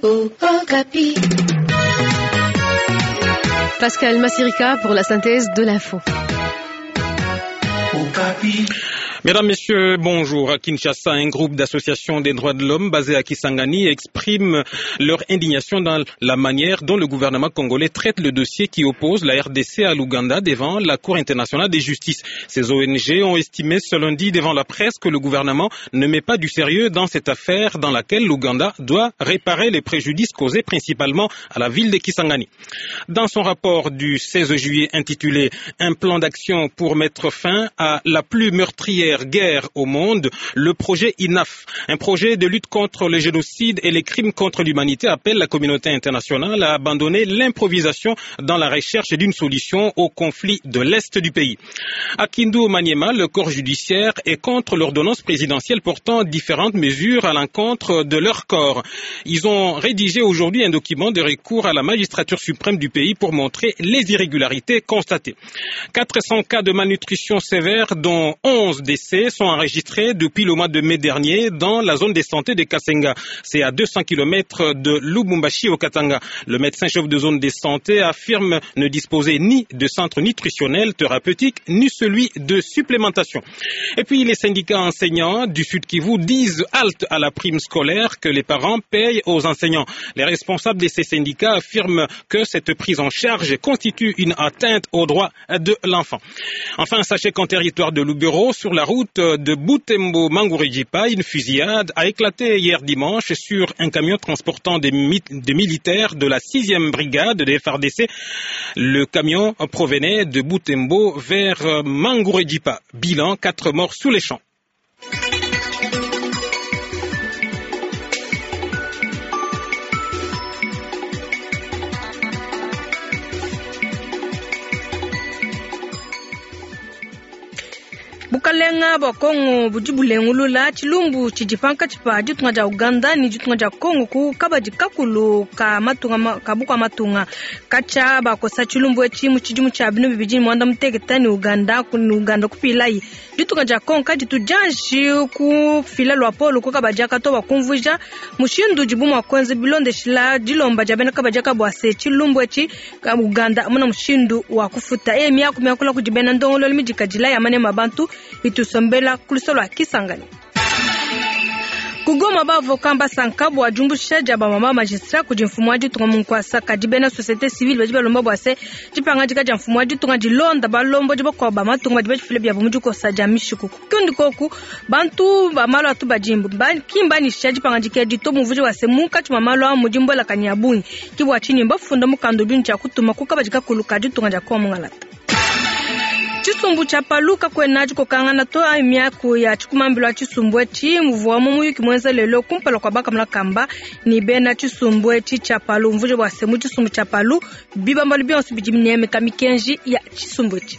Okapi. Pascal Massirika pour la synthèse de l'info. Mesdames, Messieurs, bonjour. À Kinshasa, un groupe d'associations des droits de l'homme basé à Kisangani exprime leur indignation dans la manière dont le gouvernement congolais traite le dossier qui oppose la RDC à l'Ouganda devant la Cour internationale de justice. Ces ONG ont estimé ce lundi devant la presse que le gouvernement ne met pas du sérieux dans cette affaire dans laquelle l'Ouganda doit réparer les préjudices causés principalement à la ville de Kisangani. Dans son rapport du 16 juillet intitulé Un plan d'action pour mettre fin à la plus meurtrière guerre au monde, le projet INAF, un projet de lutte contre le génocide et les crimes contre l'humanité, appelle la communauté internationale à abandonner l'improvisation dans la recherche d'une solution au conflit de l'Est du pays. À Kindu Maniema, le corps judiciaire est contre l'ordonnance présidentielle portant différentes mesures à l'encontre de leur corps. Ils ont rédigé aujourd'hui un document de recours à la magistrature suprême du pays pour montrer les irrégularités constatées. 400 cas de malnutrition sévère, dont 11 décès, sont enregistrés depuis le mois de mai dernier dans la zone de santé de Kasenga. C'est à 200 km de Lubumbashi au Katanga. Le médecin-chef de zone de santé affirme ne disposer ni de centre nutritionnel thérapeutique, ni celui de supplémentation. Et puis les syndicats enseignants du Sud Kivu disent halte à la prime scolaire que les parents payent aux enseignants. Les responsables de ces syndicats affirment que cette prise en charge constitue une atteinte aux droits de l'enfant. Enfin, sachez qu'en territoire de Lubero, sur la route de Butembo Mangurejipa, une fusillade a éclaté hier dimanche sur un camion transportant des, des militaires de la 6e brigade des FRDC. Le camion provenait de Butembo vers Mangurejipa. Bilan, 4 morts sous les champs. Bukalenga bua Kongo budi bulengulula tshilumbu tshidi pankatshi pa ditunga dia Uganda ne ditunga dia Kongo ku kabadi kakulu ka matunga ka bukua matunga katshia bakosa tshilumbu etshi mu tshidimu tshia binu bibidi ne muanda mutekete ne Uganda ne Uganda kupilayi ditunga dia Kongo kaditu dianji kufila luapolo ku kabadi aka to bua kumvuija mushindu udibu mua kuenza bilondeshila dilomba dia bena kabadi aka bua se tshilumbu etshi ka Uganda amuna mushindu wa kufuta e miaku miakula kudi bena ndongoluelu midikadila ya manema a bantu itusombela ku lusolo lua Kisangani. Kugoma bavoka mbasanka bua diumbusha dia bamama magistrat kudi mfumu wa ditunga mu nkuasa kadi bena société civile badi balomba bua se dipangadika dia mfumu wa ditunga dilonda balombodi bakuabu ba matunga badi badifile biabu mu dikosa dia mishiku. Kundi koku bantu ba malu atu badimbu ki mbanyisha dipangadika edi to mumvuija bua se munkatshi mua malu a mudi mbuelakanyi ya bungi ki bua tshinyi mbafunda mukanda udi ne tshia kutuma ku kabadi kakulu ka ditunga dia Kongo mungalata. Tshisumbu tshia Palu kakuena dikokangana to ayi miaku ya tshikumambilu a tshisumbu etshi muvua mu muyuki muenza lelo kumpala kua bakamuna kamba ne bena tshisumbu etshi tshia Palu umvuija bua se mu tshisumbu tshia Palu bibambalu bionso bidi binemeka mikenji ya tshisumbu etshi.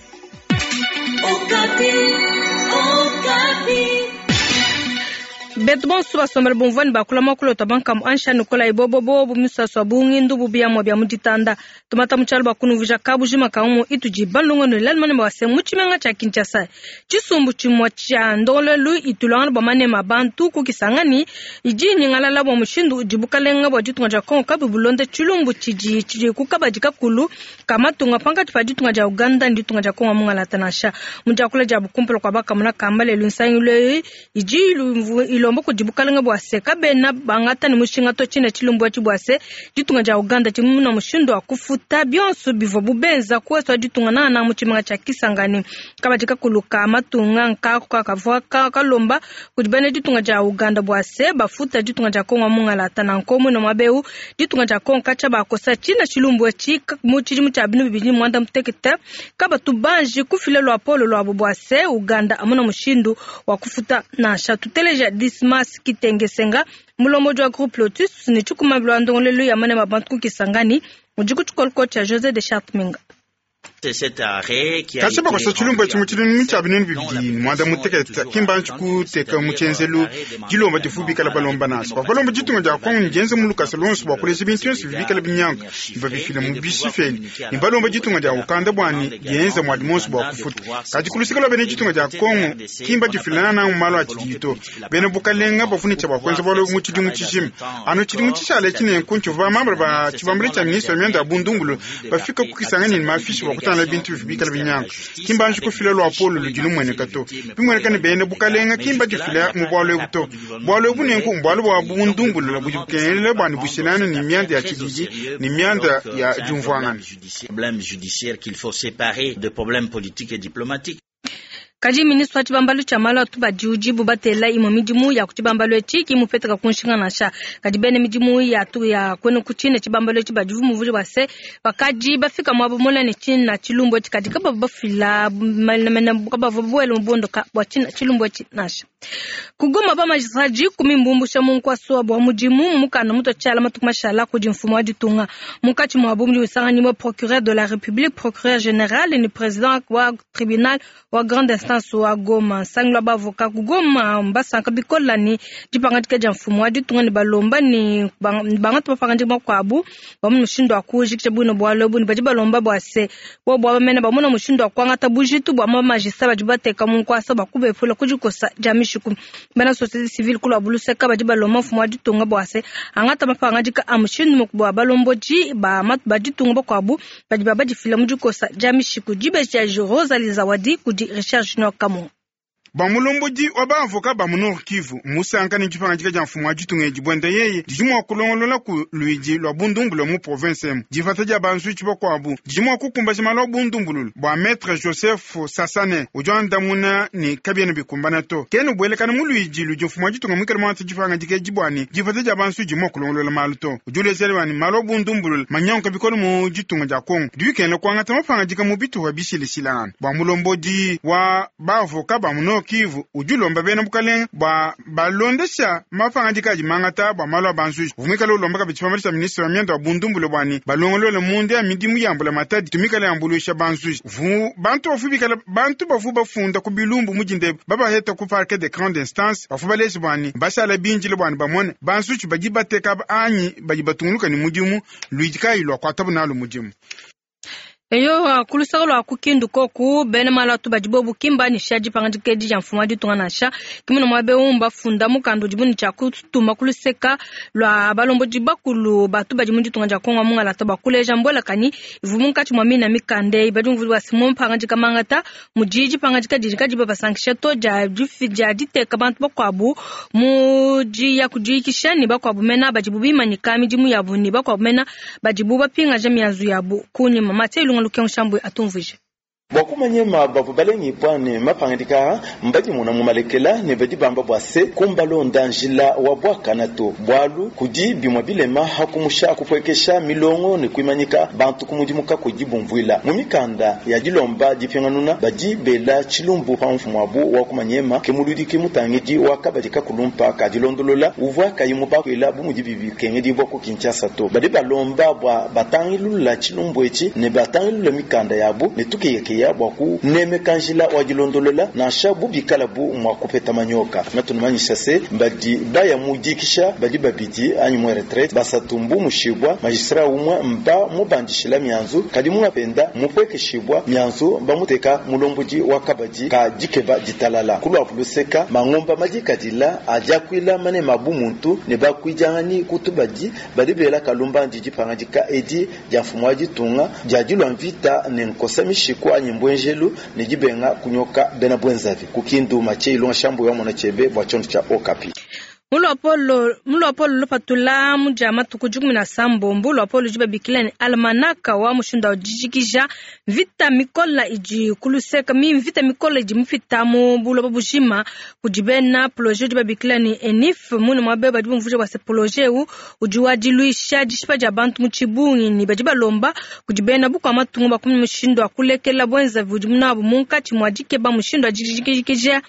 Okapi, Okapi. Betu bonso basombela bumvua ne bakula muakulu tua bankamu ansha nikola ibobobo misasu ya bungi ndubu biamua bia mu ditanda tumata mu tshialu bua kunumvuija kabujima ka umu itudi balongo ne lalu manema bua se mu tshimenga tshia Kinshasa tshisumbu tshimue tshia ndongoluelu itulangana bua manema a bantu ku Kisangani idi inyingalala bua mushindu udi bukalenga bua ditunga dia Kongo kabuyi bulonda tshilumbu tshidi tshidi ku kabadi kakulu ka matunga pankatshi pa ditunga dia Uganda ne ditunga dia Kongo mungalata nansha mu diakula diabu kumpala kua bakamuna kamba lelu nsangilu eyi idi ilomba kudi bukalenga bua se kabena bangata ne mushinga to tshina tshilumbu etshi bua se ditunga dia Uganda tshimuna mushindu wa kufuta bionso bivua bubenza kuesu wa ditunga nana mu tshimenga tshia Kisangani kabadi kakulu ka matunga nkaku kakavua kalomba kudi bena ditunga dia Uganda bua se bafuta ditunga dia Kongo mungalata na nkomu na mwabeu ditunga dia Kongo katshia bakosa tshina tshilumbu etshi mu tshidimu tshia binu bibidi muanda mutekete kabatu banji kufila luapolo luabu bua se Uganda amuna mushindu wa kufuta nansha tuteleja Dismas Kitengesenga mulombodi wa groupe Lotus ne tshikumambilu wa ndongoluelu ya manema a bantu ku Kisangani udi ku tshikoloko tshia José de Chartminga. Katshia bakosa tshilumbu etshi mu tshidimu tshia 2026, ki mbanji kuteka mu tshienzelu dilomba divu bikala balomba nansha. Bavua balomba ditunga dia Kongo ne dienza mu lukasa luonso bua kuleja bintu bionso bidi bikala binyanguka ne babifila mu bishiferi, ne balomba ditunga dia Uganda bua ne dienza muadi muonso bua kufuta. Kadi ku luseke lua bena ditunga dia Kongo ki mbadifila nangananga mu malu a tshididi to. Bena bukalenga bavua ne tshia bua kuenza bualu ebu mu tshidimu tshijima. Anu tshidimu tshishale etshi nenku ntshivua bamambula ba tshibambalu tshia ministre wa mianda ya bundumbulu bafika ku Kisangani ne mafishi bua kutangila bintu bivua bikala binyanguka. Ki mbanji kufila luapolo ludi lumueneka to. Bimueneka ne, bena bukalenga ki mbadifila mu bualu ebu to. Bualu ebu nenku mbualu bua bundumbulula budi bukengela bua ne bushilangane ne mianda ya tshididi ne mianda ya diumvuangana. Kadi ministre wa tshibambalu tshia malu a tubadi udibu batela imue midimu ya ku tshibambalu etshi ki mmupeteka ku nshinga nansha. Kadi bena midimu ya tu ya kuenu ku tshine tshibambalu etshi badi bumvuija bua se, bakadi bafika muaba mule ne tshina tshilumbu etshi kadi kabavua bafila menemene kabavua babuele mu buondoka bua tshina tshilumbu etshi nansha. Ku Goma ba magistrats dikumi mbumbusha mu nkuasa wabu wa mudimu mu mukanda mutua tshiala matuku mashala kudi mfumu wa ditunga. Munkatshi muabu mudi musanganyibua procureur de la Republique, procureur general ne president wa tribunal wa grande instance wa Goma. Nsangilu wa ba avocat ku Goma mbasanka bikola ne dipangadika dia mfumu wa ditunga ne balomba ne bangata mapangadika makuabu bamone mushindu wa kujikija buine bualu ebu ne badi balomba bua se bobu aba mene bamone mushindu wa kuangata bujitu bua ba magistrat badi bateka mu nkuasa bua kubepula ku dikosa dia mishiku. Bena societe civile ku luabu luseka badi balomba mfumu wa ditunga bua se angata mapangadika a mushindu muku bua balombodi ba ba ditunga bakuabu badi babadifila mu dikosa dia mishiku. Dibeji dia Rosalie Zawadi kudi Richard Junior Kamunga. Bua mulombodi wa ba avocat ba mu Nord Kivu, mmusanka ne dipangadika dia mfumu wa ditunga edi buenda yeye didi mua kulongolola ku luidi lua bundumbulula mu province emu. Dipata dia banzuitshi bakuabu didi mua kukumbaja malu a bundumbulula. Bua Maitre Joseph Sasane udi wandamuna ne kabiena bikumbana to. Kena ubuelekana mu luidi ludi mfumu wa ditunga muikale muangate dipangadika edi bua ne dipata dia banzuitshi didi mua kulongolola malu to. Udi uleja bua ne malu a bundumbulula manyanguka bikole mu ditunga dia Congo bidi bikengela kuangata mapangadika mu bitupa bishilashilangane. Bua mulombodi wa ba avocat ba mu Nord Kivu udi ulomba bena bukalenge bua balondesha mapangadika adi mangata bua malu a banzuji. Uvua muikale ulomba kabidi tshipambilu tshia ministre wa mianda wa bundumbule bua ne balongolole munda ya midimu ya mbulamatadi itu mikale yambuluisha banzuji. Vu bantu bavua bikale bantu bavua bafunda ku bilumbu mu dinda ebu babaheta ku parquet de grande instance bavua baleja bua ne bashala bindile bua ne bamone banzuji badi bateka aba anyi badi batungunuka ne mudimu luidi kayi luakuatabu nalu mudimu. Eyowa, ku luseke lua ku Kindu koku, bena malu atu badi bobu ki mbanyisha dipangadika edi dia mfumu wa ditunga nansha. Ki muna muaba eu mbafunda mukanda udibu ne tshia kutuma ku luseka lua balombodi bakulu batu badi mu ditunga dia Kongo wa mungalata bua kuleja mbuelakanyi ivua munkatshi mua mina mikanda eyi. Badi bumvua bua se, mu mapangadika mangata mudi dipangadika didi kadiyi babasankisha to dia dia diteka bantu bakuabu mu diya kudiyikisha ne bakuabu mena badibu bimanyika midimu yabu ne bakuabu mena badibu bapingaja mianzu yabu kunyima. Mathieu Ilunga Lukengu Shambwe atumvuije. Bua kumanyema bavua balengibua ne mapangadika aa mbadimona mu malekela ne badi bamba bua se kumbalonda njila wa buakana to, bualu kudi bimue bilema ha kumusha kupuekesha milongo ne kuimanyika bantu ku mudimu kakuyi dibumvuila. Mu mikanda ya dilomba dipinganuna badi bela tshilumbu pa mfumuabu wa kumanyema ke muludiki mutangidi wa kabadi kakulumpa ka dilondolola uvua kayi mubakuila bu mudibi bikengedibua ku Kinshasa to. Badi balomba bua batangilula tshilumbu etshi ne batangilula mikanda yabu ne tukeyakeya bua kunemeka njila wa dilondolola nansha bu bikalabu mua kupeta manyoka. Natunumanyisha se badi baya mu dikisha badi babidi anyi mu retraite, basatu mbumushibua, magistrat umue mba mubandishila mianzu kadi munga penda mupuekeshibua mianzu bamuteka mulombodi wa kabadi ka dikeba ditalala. Ku luabu luseka, mangumba madikadila a diakuila manema a bumuntu ne bakuidianganyi ku tubadi badi bela kalumbandi dipangadika edi dia mfumu wa ditunga dia dilua mvita ne nkosa mishiku anyi mbuenjelu ne dibenga kunyoka bena buenzavi. Ku Kindu, Mathieu Ilunga Shambuyi wa Mona Tshiebe bua tshiondo tshia Okapi. Mu luapolo mu luapolo lupatula mu dia matuku 16, luapolo ludi babikila ne almanaka wa mushindu wa dijikija mvita mikola idi ku luseka mi mvita mikola idi mupita mu buloba bujima kudi bena projet udi babikila ne ENIF mune muaba badi bumvuija bua se projet eu udi wa diluisha dishipa dia bantu mu tshibungi ne badi balomba kudi bena bukua matunga bakumona mushindu wa kulekela buenzavi budi nabu munkatshi mua dikeba mushindu wa dijikija.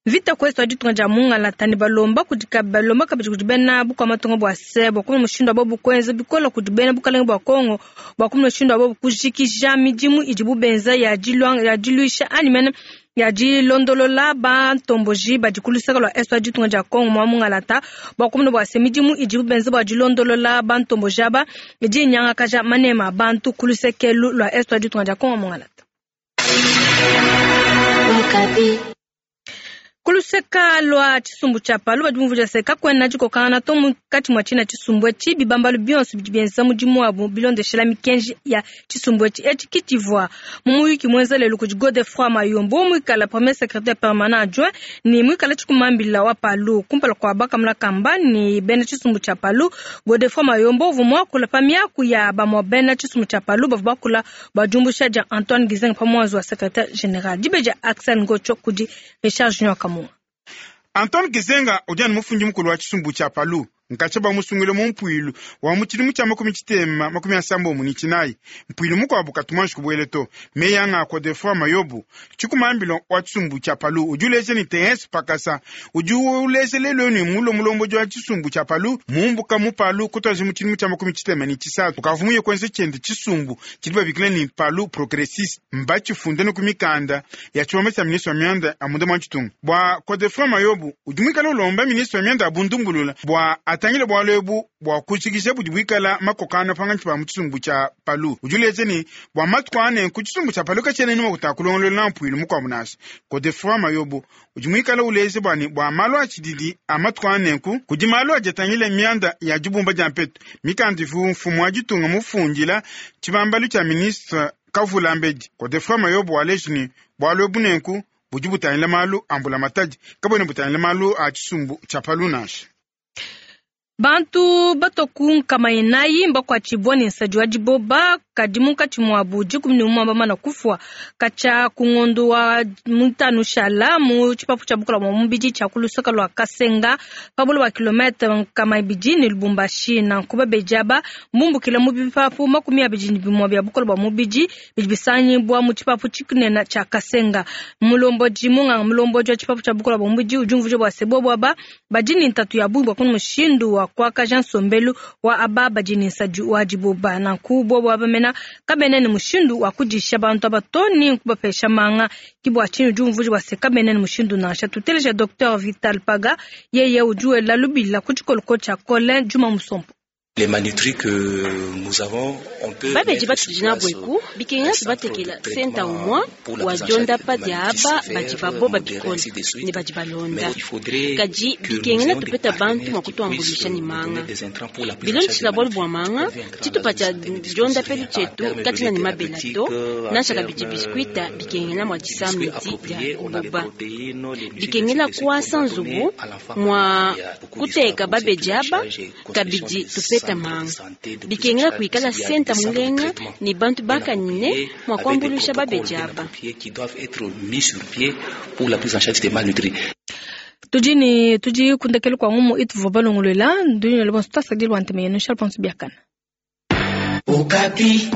Mvita ku est wa ditunga dia mungalata ne balomba kudi balomba kabidi kudi bena bukua matunga bua se bua kumona mushindu wa bobu kuenza bikola kudi bena bukalenge bua Kongo bua kumona mushindu wa bobu kujikija midimu idibu benza ya diluisha anyi mene ya dilondolola bantomboji badi ku luseke lua est wa ditunga dia Kongo mua mungalata bua kumona bua se midimu idibu benza bua dilondolola bantomboji aba idi inyangakaja manema a bantu ku luseke lua est wa ditunga dia Kongo mungalata. Kuluseka lua tshisumbu tshia palu badi bumvuija se kakuena dikokangana to munkatshi mua tshina tshisumbu etshi bibambalu bionso bidi bienza mudimu wabu bilondeshela mikenji ya tshisumbu etshi. Etshi ke tshivua mu muyuki muenza lelu kudi Godefroid Mayombo muikala premier secrétaire permanent adjoint ne muikala tshikumambila wa palu kumpala kua bakamuna kamba ne bena tshisumbu tshia palu. Godefroid Mayombo uvua muakula pa miaku ya bamue bena tshisumbu tshia palu bavua bakula bua diumbusha dia Antoine Gizenga pa muanzu wa secrétaire général. Dibeja Axel Ngocho kudi Richard Junior Kamunga. Antoine Gizenga udi anu mufundi mukulu wa tshisumbu tshia palu nkatsha bamusungule mu mpuilu wa mu tshidimu tshia 1994 mpuilu mukuabu katumanji kubuele to meyi anga Godefroid Mayobo tshikumambilo wa tshisumbu tshia palu udi uleja ni TS Pakasa udi uleja lelo ni mulo mulombodi wa tshisumbu tshia palu mumbuka mu palu kutwaje mu tshidimu tshia 1993 ukavumuye kwenze tshiende tshisumbu tshidi babikila ni palu progressiste mbatshifunde ku mikanda ya tshibamba tshia ministre wa mianda ya munda mwa tshitunga bua Godefroid Mayobo udi muikale ulomba ministre wa mianda ya bundumbulula bua atangile bwalu ebu bua kujikija budi buikala makokana pangantshi pa mu tshisumbu tshia palu udi uleja ni bua matuku ane ku tshisumbu tshia palu katshiena nima kutakulongolola mpuilu mukuabu nansha. Godefroid Mayobo udi muikale uleja bua bua malu a tshididi a matuku anenku kudi malu adi atangile mianda ya dibumba dia mpetu mikanda ivu mfumu wa ditunga mufundila tshibambalu tshia ministre Kavula Mbedi. Godefroid Mayobo waleja ni bwalu ebu nenku budi butangila malu a mbulamatadi kabwena butangila malu a tshisumbu tshia palu nansha. Bantu batoku nkama inayi mbakuatshibua ne nsadi wa diboba kadi munkatshi muabu 11 bamana kufua katshia ku ngondo wa mutanu shala mu tshipapu tshia bukola bua mubidi tshia ku lusaka lua Kasenga pa buloba bua kilometre 200 ne Lubumbashi. Nanku babedi aba mbumbukila mu bipapu 21 bia bukola bua mubidi bidi bisangibua mu tshipapu tshikunena tshia Kasenga. Mulombodi munganga mulombodi wa tshipapu tshia bukola bua mubidi udi umvuija bua se bobo aba badi ne ntatu ya bungi bua kuna mushindu wa kuakaja nsombelu wa aba badi ne nsadi wa diboba. Nanku bobo aba mena kabena ne mushindu wa kudisha bantu aba to ni kubapesha manga ke bua tshinyi udi umvuija bua se kabena ne mushindu nansha. Tuteleja Dr Vital Paga yeye udi wela lubila ku tshikoloko tshia Colin Juma Musompo. Les malnutris que nous avons, on peut babeji batudi nabo eku bikenga tubatekela senta umwa wa diondapa dia aba badi baboba bikole ne badi balonda kadi bikengela tupeta bantu mwa kutuambulisha ni manga bilondeshila bwalu bwa manga tshitupa tshia diondapelu tshietu katina ne mabela to nansha kabidi biskuita bikengela mwa disamidi dia kuboba bikengela kuasa nzubu mwa kuteka babeji aba kabidi tupeta manga bikengela kuikala senta mulenga ni bantu bakanyine mwa kuambulisha babeji aba. Tudi ni tudi kundekele kwa ngumu ituvo balongolola nduni le bonso tasadil wanteme yenu shalponso biakana. Okapi.